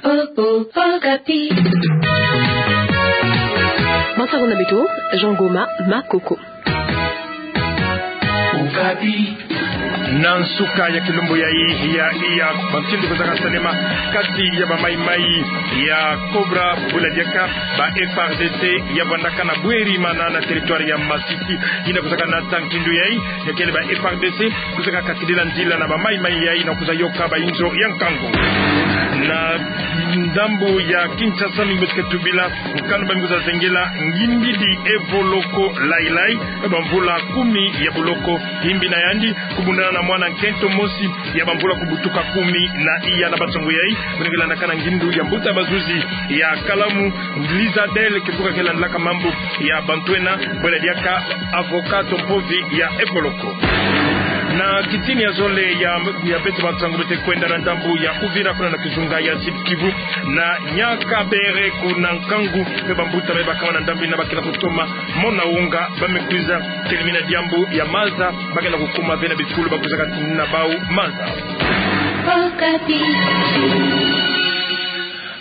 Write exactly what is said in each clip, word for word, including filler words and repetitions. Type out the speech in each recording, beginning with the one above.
Oh, oh, Okapi. Matsako na beto, Jean Goma Makoko. Okapi. Na nsuka ya kilumbu yayi, ya, ya bantu nde kozaka salema kati ya bamaimai ya Cobra, bula diaka ba F A R D C ya vandaka na bweri mana na territoire ya Masisi, yina kozaka nata nkindu yayi, ya kele ba F A R D C kozaka kasidila nzila na bamaimai yayi na kuza yoka ba inzo ya nkangu. Na ndambu ya Kinshasa, mingi beto ke tubila nkanu ba mi kuza zengela ngingidi Evoloko Lailai, bamvula kumi ya boloko. Yimbi na yandi kubundana na mwana nkento mosi ya bamvula kubutuka kumi na iya. Na bansangu yayi, beno ke landaka na ngindu ya mbuta bazuzi ya kalamu, Lizadel, kimvuka ke landilaka mambu ya bantu ena, bwela diaka avocat to mpovi ya Evoloko. Na kitini ya zole ya, ya beto bansangu, beto ke kwenda na ndambu ya Uvira, kuna na kizunga ya Sud-Kivu, na Nyakabere, kuna nkangu mpe bambuta me bakama na ndambu yina ba ke na kutoma mona wonga, ba me kwiza telemina diambu ya maza ba ke na kukuma ve na bifulu ba kwizaka tinina bau maza.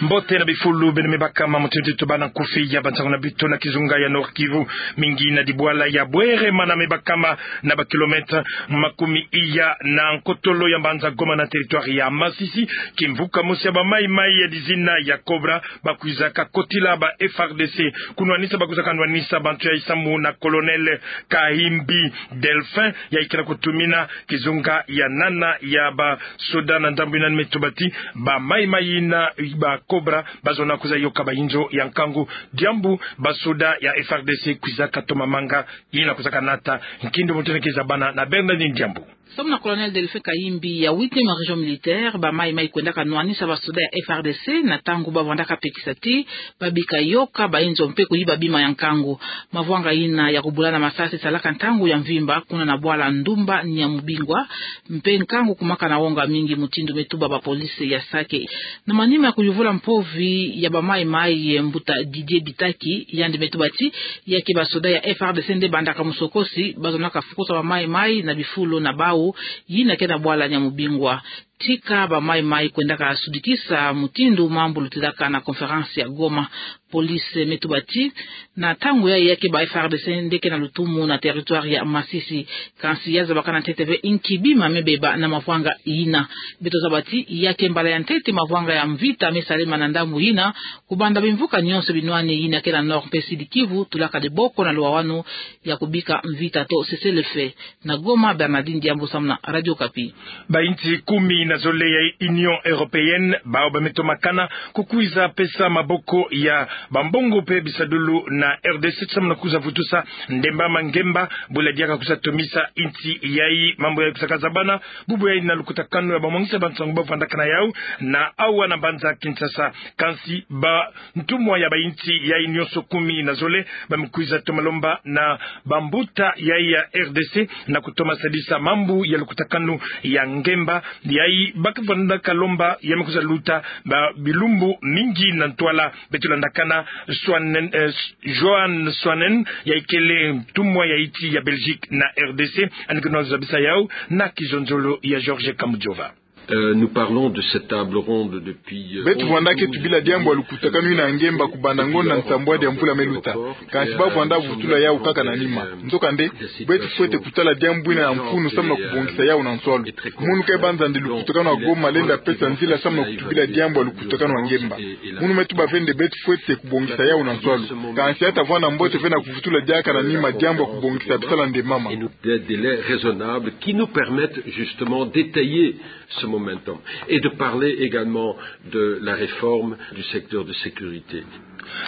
Mbote na bifulu beno me bakama, mutindu ti tubana nkufi ya bansangu na beto. Na kizunga ya Nord-Kivu, mingi na dibwala ya Bwere mana me bakama na ba kilomètre makumi iya na nkotolo ya mbanza Goma na territoire ya Masisi, kimvuka mosi ya bamaimai ya dizina ya Cobra ba kwizaka kotila ba F A R D C kunwanisa ba kwizaka nwanisa bantu yayi samu na Colonel Kahimbi Delphin, yayi ke na kutumina kizunga ya nana ya basoda. Na ndambu yina me tuba ti bamaimai yina ba Cobra bazona kwiza yoka ba inzo ya nkangu, diambu basoda ya F A R D C kwizaka toma manga, yina kwizaka nata nkindu, mutindu ke zabana na Bernardine Diambu. Samu na Colonel Delphin Kahimbi ya huitième région militaire, bamaimai kwendaka nwanisa basoda ya F A R D C na ntangu ba vandaka pekisa ti babika yoka ba inzo mpe kuyiba bima ya nkangu. Mavwanga yina ya kubulana masasi salaka ntangu ya mvimba kuna na bwala Ndumba Nyamubingwa, mpe nkangu kumaka na wonga mingi, mutindu me tuba ba police ya Sake. Na manima ya kuyuvula mpovi ya bamaimai, mbuta Didier Bitaki, yandi me tuba ti ya ke basoda ya F A R D C nde bandaka musokosi, bazonaka fukusa bamaimai na bifulu na bau yina ke na bwala Nyamubingwa. Tika bamaimai kwendaka sudikisa mutindu mambu lutilaka na conférence ya Goma. Police me tuba ti na ntangu yayi ya ke ba F A R D C nde ke na lutumu na territoire ya Masisi. Kansi ya zabaka na ntete ve inki bima me beba na mavwanga yina. Beto zaba ti ya ke mbala ya ntete mavwanga ya mvita me salema na ndambu yina, kubanda bimvuka nyonso binwani yina ke na Nord mpe Sud-Kivu tulaka diboko na luwawanu ya kubika mvita to cessez-le-feu. Na Goma, Bernardine Diambu samu na Radio Okapi. Ba insi kumi na zole ya Union Européenne, bau ba me tomakana kukwiza pesa maboko ya bambongo mpe bisadulu na R D C samu na kwiza vutusa ndemba ma ngemba, bula diaka kwiza tomisa insi yayi. Mambu yayi kwiza kazabana bubu yayi na lukutakanu ya bamwangisa bansangu ba vandakana yau na awa na mbanza Kinshasa. Kansi ba ntumwa ya ba insi yayi nyonso kumi na zole ba me kwiza toma lomba na bambuta yayi ya R D C na kutoma sadisa mambu ya lukutakanu ya ngemba yayi ba ke vandaka lomba ya me kwiza luta ba bilumbu mingi na ntwala. Beto landakana Swanen, eh, Johan Swanen, yayi kele ntumwa ya insi ya Belgique na R D C, yandi ke na zabisa yau na kizonzolo ya Georges Kamujova. Euh, nous parlons de cette table ronde depuis, euh, Beto vwanda ke tubila diambu ya lukutakanu yina ya ngemba kubanda ngonda nsambwadi ya mvula me luta. Kansi ba vwanda vutula yau kaka na nima. Nzokande, beto fwete kutala diambu yina ya mfunu samu na kubongisa yau na nswalu. Munu ke banza nde lukutakanu ya Goma lenda pesa nzila samu na kutubila diambu ya lukutakanu ya ngemba. Munu me tuba ve nde beto fwete kubongisa yau na nswalu. Kansi ya ta vwanda mbote ve na kuvutula diaka na nima diambu ya kubongisa bisala nde mama. Des délais raisonnables qui nous permettent justement d'étayer ce momentum et de parler également de la réforme du secteur de sécurité.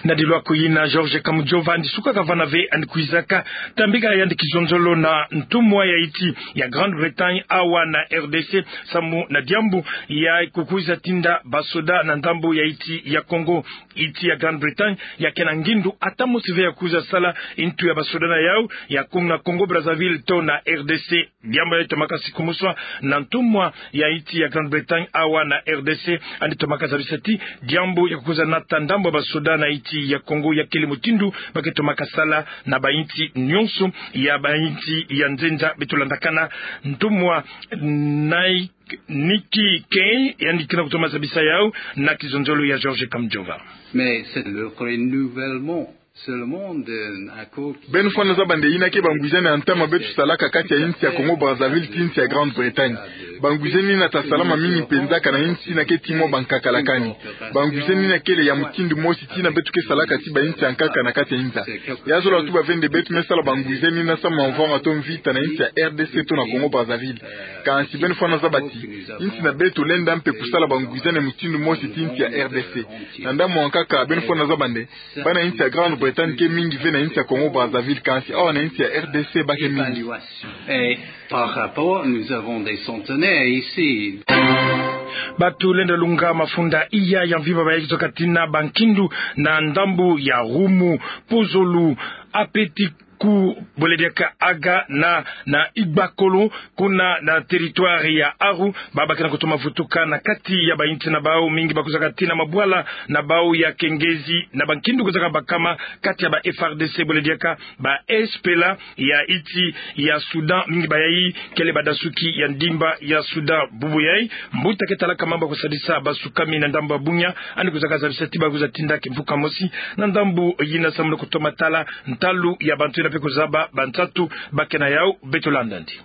Na dilu aku yina, Georges Kamujova yandi suka kavana ve yandi kwizaka tambika yandi kizonzolo na ntumwa ya insi ya Grande-Bretagne awa na R D C samu na diambu ya kukwiza tinda basoda na ndambu ya insi ya Congo. Insi ya Grande-Bretagne ya ke na ngindu ata mosi ve ya kwiza sala ntu ya basoda na yau ya Congo, na Congo-Brazzaville to na R D C. Diambu yayi tomaka sikumuswa na ntumwa ya insi ya Grande-Bretagne awa na R D C, yandi tomaka zabisa ti diambu ya kukwiza nata ndambu ya basoda na Haïti ya Congo, ya kele mutindu ba ke tomaka sala na bainsi nyonso ya bainsi ya nzenza. Beto landakana ntumwa Nai Niki Kay, yandi ke na kutoma zabisa yau na kizonzolo ya George Kamujova. Mais c'est le renouvellement seulement d'un accord qui... Beno fwana zaba nde yina ke bangwizani ya ntama beto salaka kati ya insi ya Congo Brazzaville tii insi ya Grande-Bretagne. Bangwizani yina ta salama mingi mpenza kana insi yina ke tii mwa bankaka lakani. Bangwizani yina kele ya mutindu mosi tii yina beto ke salaka tii bainsi ya nkaka na kati ya inza. Ya zola tuba ve nde beto me sala bangwizani yina samu na mvwanga to mvita na insi ya R D C to na Congo Brazzaville. Kansi beno fwana zaba ti insi na beto lenda mpe kusala bangwizani ya mutindu mosi tii insi ya R D C. Na ndambu ya nkaka, beno fwana zaba nde bana insi ya Grande-Bretagne ke mingi ve na insi ya Congo Brazzaville, kansi awa na insi ya R D C ba ke mingi. Et par rapport, nous avons des centenaires ici. Bato lenda lunga mafunda iya ya mvimba ba ya kizwa kati na bankindu na ndambu ya Roumo, Pozolo, Apeti ku Bolediaka, Aga na, na Igbakolo, kuna na territoire ya Aru, ba ba ke na kutoma vutuka na kati ya bainsi na bau. Mingi ba kuzaka tii na mabwala na bau ya kengezi na bankindu kuzaka bakama kati ya ba F A R D C, Bolediaka ba S P L A ya insi ya Soudan. Mingi ba yai kele badasuki ya ndimba ya Soudan. Bubu yai, mbuta ke talaka mambu ya kusadisa basukami na ndambu ya bunya, yandi kuzaka zabisa ti ba kwiza tinda kimvuka mosi na ndambu yina samu na kutoma tala ntalu ya bantu yina mpe kuzaba bansatu ba ke na yau. Beto landa yandi.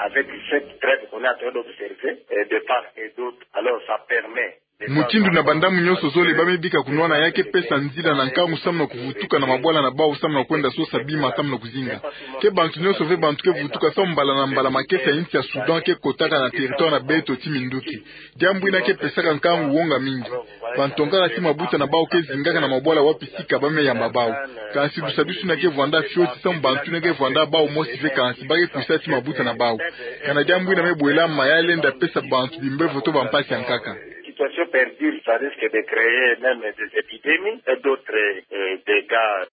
Avec cette trêve qu'on est en train d'observer, euh, de part et d'autre, alors ça permet... Mutindu na bandambu nyonso zole ba me bika kunwana, ya ke pesa nzila na nkangu samu na kuvutuka na mabwala na bau samu na kwenda sosa bima samu na kuzinga. Ke bantu nyonso ve bantu ke vutuka samu mbala na mbala makesa ya insi ya Soudan ke kotaka na territoire na beto ti minduki. Diambu yina ke pesaka nkangu wonga mingi. Bantu nkaka ti mabuta na bau ke zingaka na mabwala wapi sika ba me yamba bau. Kansi lusadusu yina ke vwanda fioti samu bantu yina ke vwanda bau mosi ve, kansi ba ke kwisa ti mabuta na bau. Kana diambu yina me bwela ma ya lenda pesa bantu bimbevo to bampasi ya nkaka. Situation perdure, ça risque de créer même des épidémies et d'autres, euh, dégâts.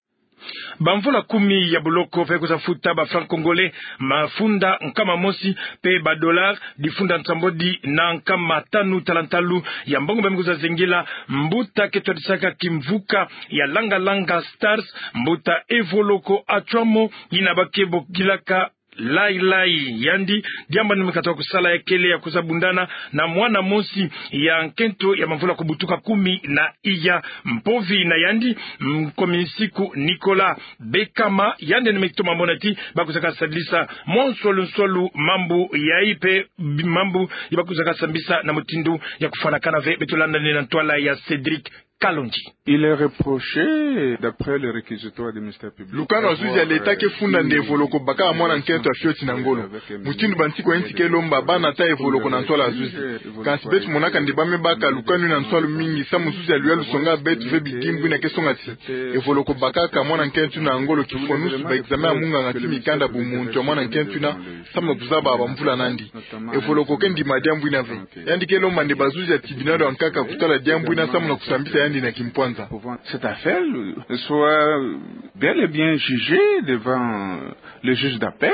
Bamvula kumi ya boloko mpe kwiza futa ba francs congolais mafunda nkama mosi mpe ba dollars difunda nsambwadi na nkama tanu tala ntalu ya mbongo ba me kwiza zengela mbuta ke twadisaka kimvuka ya Langa Langa Stars, mbuta Evoloko Atchouamot, yina ba ke bokilaka Lai Lai. Yandi, diambu yandi me katuka kusala ya kele ya kwiza bundana na mwana mosi ya nkento ya bamvula kubutuka kumi na iya. Mpovi na yandi, Nkomi Nsiku Nicolas Bekama, yandi yandi me toma mona ti ba kwizaka sadisa mwa nswalu nswalu mambu yai mpe bi-, mambu ya ba kwizaka sambisa na mutindu ya kufwanakana ve. Beto landa yandi na ntwala ya Cédric Kalonji. Il est reproché, d'après le réquisitoire du ministère public, lukanu ya zuzi ya l'État ke funda nde Evoloko bakaka mwana nkento ya fioti na ngolo. Mutindu bansiku ya insi ke lomba, ba nata Evoloko na ntwala ya zuzi. Kansi beto monaka nde ba me baka lukanu yina nswalu mingi, samu zuzi ya luyalu songa beto ve bidimbu yina ke songa ti Evoloko bakaka mwana nkento yina ngolo kifwanusu ba examen ya munganga ti mikanda bumuntu ya mwana nkento yina, samu na kuzaba bamvula nandi. Evoloko ke ndima diambu yina ve. Yandi ke lomba nde bazuzi ya tribunal ya nkaka kutala diambu yina samu na kusambisa yandi na kimpwanza. Cette affaire soit bel et bien jugée devant le juge d'appel.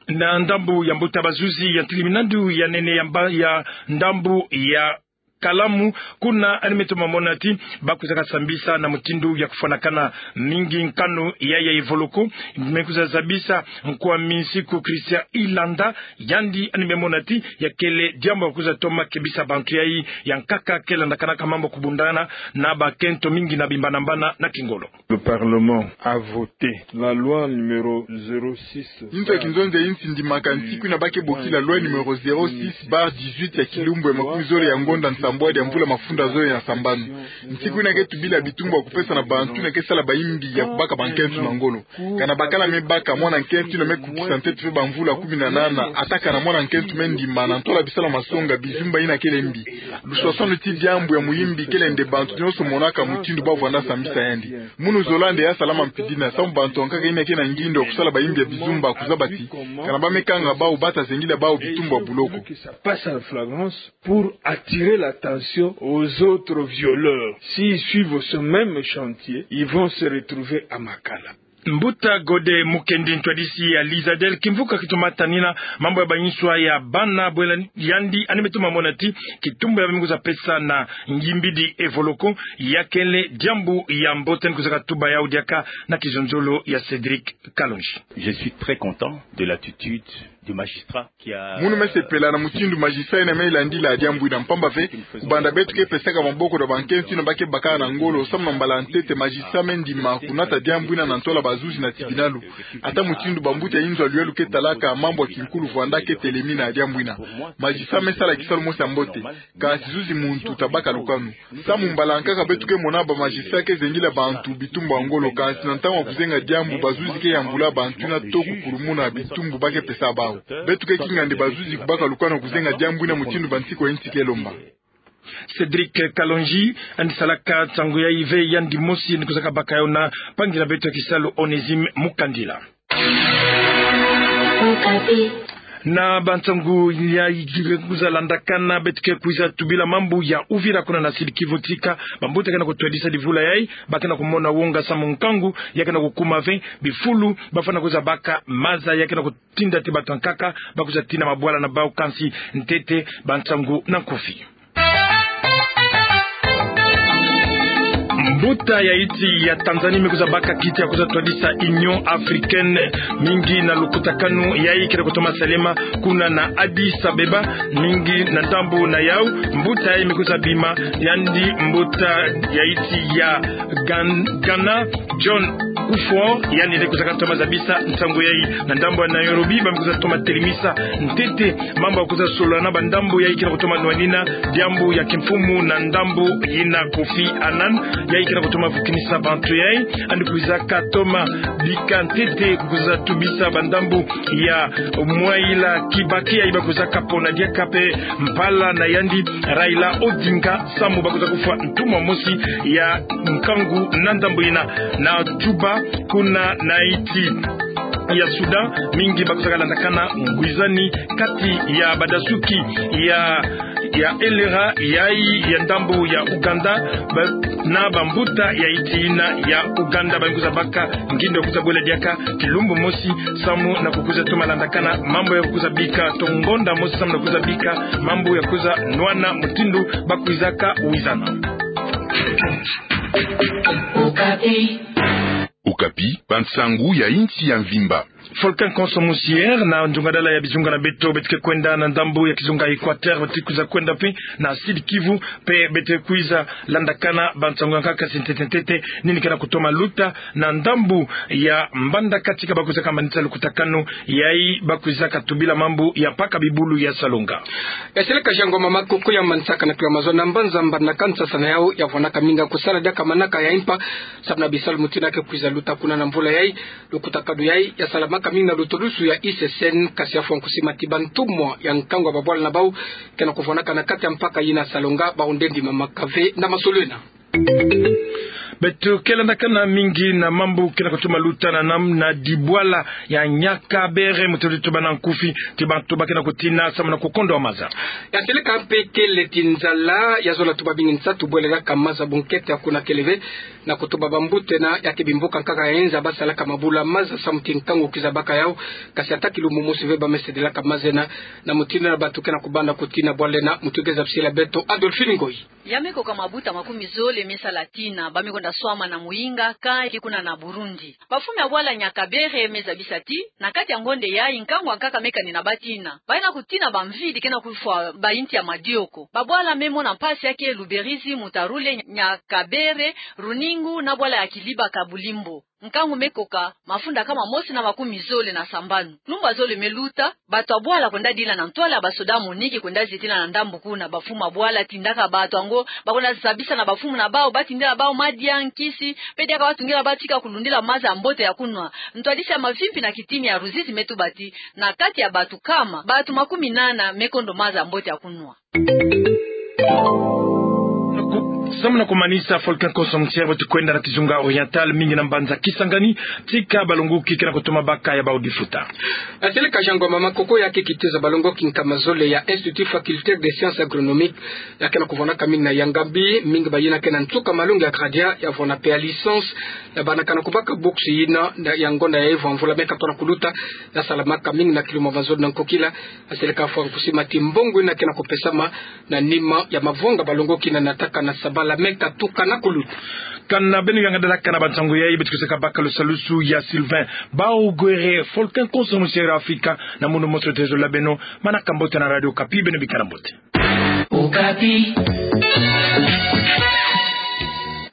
Na ndambu ya mbuta, bazuzi ya ntilimina ndu ya nene ya mba-, ya ndambu ya Kalamu, kuna yandi me toma mona ti ba kwizaka sambisa na mutindu ya kufwanakana mingi nkanu ya, ya Evoloko. Me kwiza zabisa Nkomi Nsiku Christian Ilanda, yandi yandi me mona ti ya kele diambu ya kwiza toma kebisa bantu yai ya nkaka ke landakanaka mambu ya kubundana na bakento mingi na bimbanambana na kingolo. Le Parlement a voté la loi numéro zéro six. Inzo ya kinzonzi ya insi ndimaka nsiku yina ba ke bokila loi numéro zéro six barre dix-huit ya kilumbu ya makumi zole ya ngonda nsambwadi ya mvula mafunda zole na sambanu. Nsiku yina ke tubila bitumbu ya kupesa na bantu yina ke sala bayimbi ya kubaka bankento na ngolo. Kana bakala me baka, mwana nkento yina me kukisa ntete ve bamvula kumi na nana, ata kana mwana nkento me ndima na ntwala bisalu ya masonga, bizumba yina kele mbi. Luswaswanu ti diambu ya muyimbi kele nde bantu nyonso monaka mutindu ba vwanda sambisa yandi. Munu zola nde ya salama mpidina, samu bantu ya nkaka yina ke na ngindo ya kusala bayimbi ya bizumba kuzaba ti kana ba me kanga bau, ba ta zengila bau bitumbu ya buloko. Passe à la flagrance pour attirer l'attention aux autres violeurs. S'ils suivent ce même chantier, ils vont se retrouver à Makala. Mbuta Gode Mukendi, ntwadisi ya l'ISADEL, kimvuka kitoma tanina mambu ya bayinswa ya bana, bwela yandi yandi me toma mona ti kitumbu ya baminguzwa pesa na Ngimbidi Evoloko, ya kele diambu ya mbote. Ni kuiza katuba yawu diaka na kizonzolo ya Cédric Kalonji. Je suis très content de l'attitude du magistrat qui a... Munu me sepela na mutindu magistrat ina me landila diambu ina, mpamba ve, kubanda beto ke pesaka maboko na bankensi ina ba ke baka na ngolo, samu na mbala ntete magistrat me ndima kunata diambu ina na ntola bazuzi na tibinalu. Ata mutindu bambuta ya inzo ya luyelu ke talaka mambu ya kinkulu, vwanda ke telemina diambu ina. Magistrat me sala kisalu mosi ya mbote. Kasi zuzi muntu tabaka lukanu. Samu mbala nkaka beto ke mona ba magistrat ke zengila bantu bitumbu ya ngolo, kasi na ntangu ya kuzenga diambu, bazuzi ke yambula bantu ina to kukulumuna bitumbu ba ke pesa bawu. Beto ke kinga nde bazuzi kubaka lukanu ya kuzenga diambu ina mutindu bansiku ya insi ke lomba. Cédric Kalonji yandi salaka nsangu yayi ve, yandi mosi ni kuiza kabaka yawu na mpangi na beto ya kisalu Onésime Mukandila. Na bansangu yayi kuiza landakana, beto ke kuiza tubila mambu ya Uvira kuna na Sud-Kivu, tika bambuta ke na kutwadisa livula yayi, ba ke na kumona wonga samu nkangu ya ke na kukuma ve, bifulu bafwana kuiza baka maza ya ke na kutinda ti bato ya nkaka ba kuiza tina mabwala na bawu. Kansi ntete bansangu na nkufi. Mbuta ya insi ya Tanzanie me kuiza baka kiti ya kuiza twadisa Union Africaine, mingi na lukutakanu yayi ke na kutoma salama kuna na Addis Abeba, mingi na ndambu na yawu, mbuta yayi me kuiza bima, yandi mbuta ya insi ya Gan-, Ghana, John Kufuor, yandi nde kuiza katoma zabisa nsangu yayi. Na ndambu ya Nairobi, ba me kuiza toma telemisa ntete mambu ya kuiza solola na bandambu yayi ke na kutoma nwanina diambu ya kimfumu na ndambu yina, Kofi Annan, yayi ke na kutoma vukinisa bantu yayi. Yandi kuiza katoma bika ntete, kuiza tubisa bandambu ya Mwai Kibaki, yayi ba kuiza kapona diaka pe mpala na yandi Raila Odinga, samu ba kuiza kufwa ntumwa mosi ya nkangu na ndambu yina. Na Juba, kuna na insi ya Sudan, mingi ba kuiza kalandakana ngwizani kati ya badasuki ya, ya L R A yayi ya ndambu ya Uganda, ba, na bambuta ya insi yina ya Uganda. Ba me kuiza baka ngindo ya kuiza bwela diaka kilumbu mosi, samu na kukuiza toma landakana mambu ya kuiza bika, to ngonda mosi, samu na kuiza bika mambu ya kuiza nwana mutindu ba kuiza kawizana. Okapi, bansangu ya insi ya mvimba. Volcan Konso Musier na nzungadala ya bizunga na beto, beto ke kwenda na ndambu ya kizunga Equateur, beto ke kuiza kwenda pe na Sud-Kivu, pe beto ke kuiza landakana bansangu ya nkaka. Kasi ntete ntete, nini ke na kutoma luta na ndambu ya mbandaka tika ba kuiza kamanisa lukutakanu yayi ba kuiza katubila mambu ya mpaka bibulu ya Salonga? Ya seleka Jean Ngoma Makuku ya manisaka na kiwa mazono na mbanza mbanda kanisasa na yawu, ya vwanaka mingi kusala diaka manaka ya impa, samu na bisalu mutindu ke kuiza luta kuna na mvula yayi. Lukutakanu yayi ya salamaka mingi na lutulusu ya I C C N, kasi ya fwa nkusi mati bantumwa ya nkangu ya babwala na bawu ke na kuvwanaka na kati ya mpaka yina Salonga, bawu nde ndimamaka ve na masolo ena. Beto ke landakana mingi na mambu ke na kutoma luta na nam na dibwala ya Nyakabere, mutindu tuba na nkufi, ti bantu ba ke na kutina samu na kukondwa maza. Ya seleka mpe kele ti nzala, ya zola tuba bingi nsatu bwelelaka maza, bunkete ya kuna kele ve, na kutuba bambuta ena ya ke bimbuka nkaka ya inza ba salaka mabula maza samu ti nkangu kuiza baka yawu, kasi ata kilumbu mosi ve ba me sedelaka maza ena, na mutindu ena bantu ke na kubanda kutina bwala ena. Mutu ke zabisila beto, Adolphine Ngoyi. Ya me koka mabuta makumi zole me sala tina, ba me kwenda swama na muyinga, ka eki kuna na Burundi. Bafumi ya bwala Nyakabere me zabisa ti, na kati ya ngonde yayi nkangu ya nkaka me kanina ba tina. Ba ina kutina bamvidi ke na kufwa ba inti ya madioko. Babwala me mona mpasi ya ke Luberizi, Mutarule, Nyakabere, Runingu na bwala ya Kiliba Kabulimbo. Nkangu me koka mafunda kama mosi na makumi zole na sambanu. Lumbu ya zole me luta, bantu ya bwala kwenda dila na ntwala ya basoda MONUC kwenda zitila na ndambu kuna. Bafumu ya bwala tindaka bantu yango ba kwenda zabisa na bafumu na bawu, ba tindila bawu madia, nkisi, mpe diaka ba tungila bawu tika kulundila maza ya mbote ya kunwa. Ntwadisi ya mavimpi na kitini ya Ruzizi me tuba ti, na kati ya bantu kama, bantu makumi nana me kondo maza ya mbote ya kunwa. Samu na kumanisa, Volcan Consortium Niger bati kwenda na kizunga Oriental, mingi na mbanza Kisangani, tika balongoki ke na kutoma baka ya bau difuta. Aseleka Jean Ngoma Makoko ya kikitiza balongoki nkama zole ya Institut Facultaire des Sciences Agronomiques, ya ke na kuvwanaka mingi na Yangambi, mingi bayina ke na nsuka malongi ya gradia, ya vwana pe ya licence, ya bana kana kubaka bourse yina, na ya ngonda ya ivwa mvula mia katona kuluta, ya salamaka mingi na kiluma mazole na nkokila. Aseleka fwa nkusi mati mbongo yina ke na kupesama na nima ya mavwanga balongoki na nataka na sabala mia katatu kana kuluta. Kana beno yanga dalaka na bansango yayi, beto ke saka baka lusalusu ya Sylvain Baogwere, Volcan Consortium Niger Afrika, na mono mosi tezo la beno, manaka mbote na Radio Okapi, beno bikana mbote. Okapi.